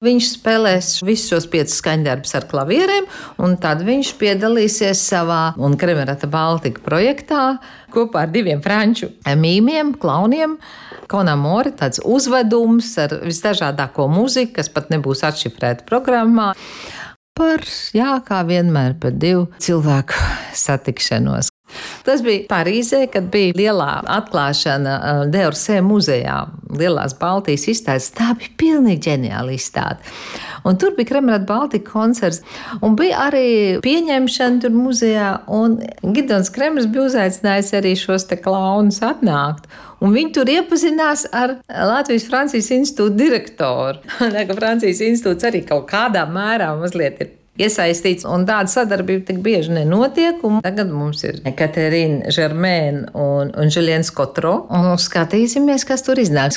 Viņš spēlēs visus šos 5 skaņdarbus ar klavierēm, un tad viņš piedalīsies savā un Kremerata Baltika projektā kopā ar 2 franču mīmiem, klauniem. Konamori, tāds uzvedums ar visdažādāko muziku, kas pat nebūs atšifrēta programmā. Kā vienmēr, par 2 cilvēku satikšanos. Tas bija Parīzē, kad bija lielā atklāšana D'Orsay muzejā, lielās Baltijas izstādes. Tā bija pilnīgi ģeniāla izstāde. Un tur bija Kremerata Baltika koncerts, un bija arī pieņemšana tur muzejā, un Gidons Kremers bija uzaicinājis arī šos te klaunus atnākt. Un viņi tur iepazinās ar Latvijas-Francijas institūta direktoru. Francijas institūts arī kaut kādā mērā mazliet ir iesaistīts, un tāda sadarbība tik bieži nenotiek. Un tagad mums ir Katerīna Žermēna un Juliens Kotro. Un skatīsimies, kas tur iznāks.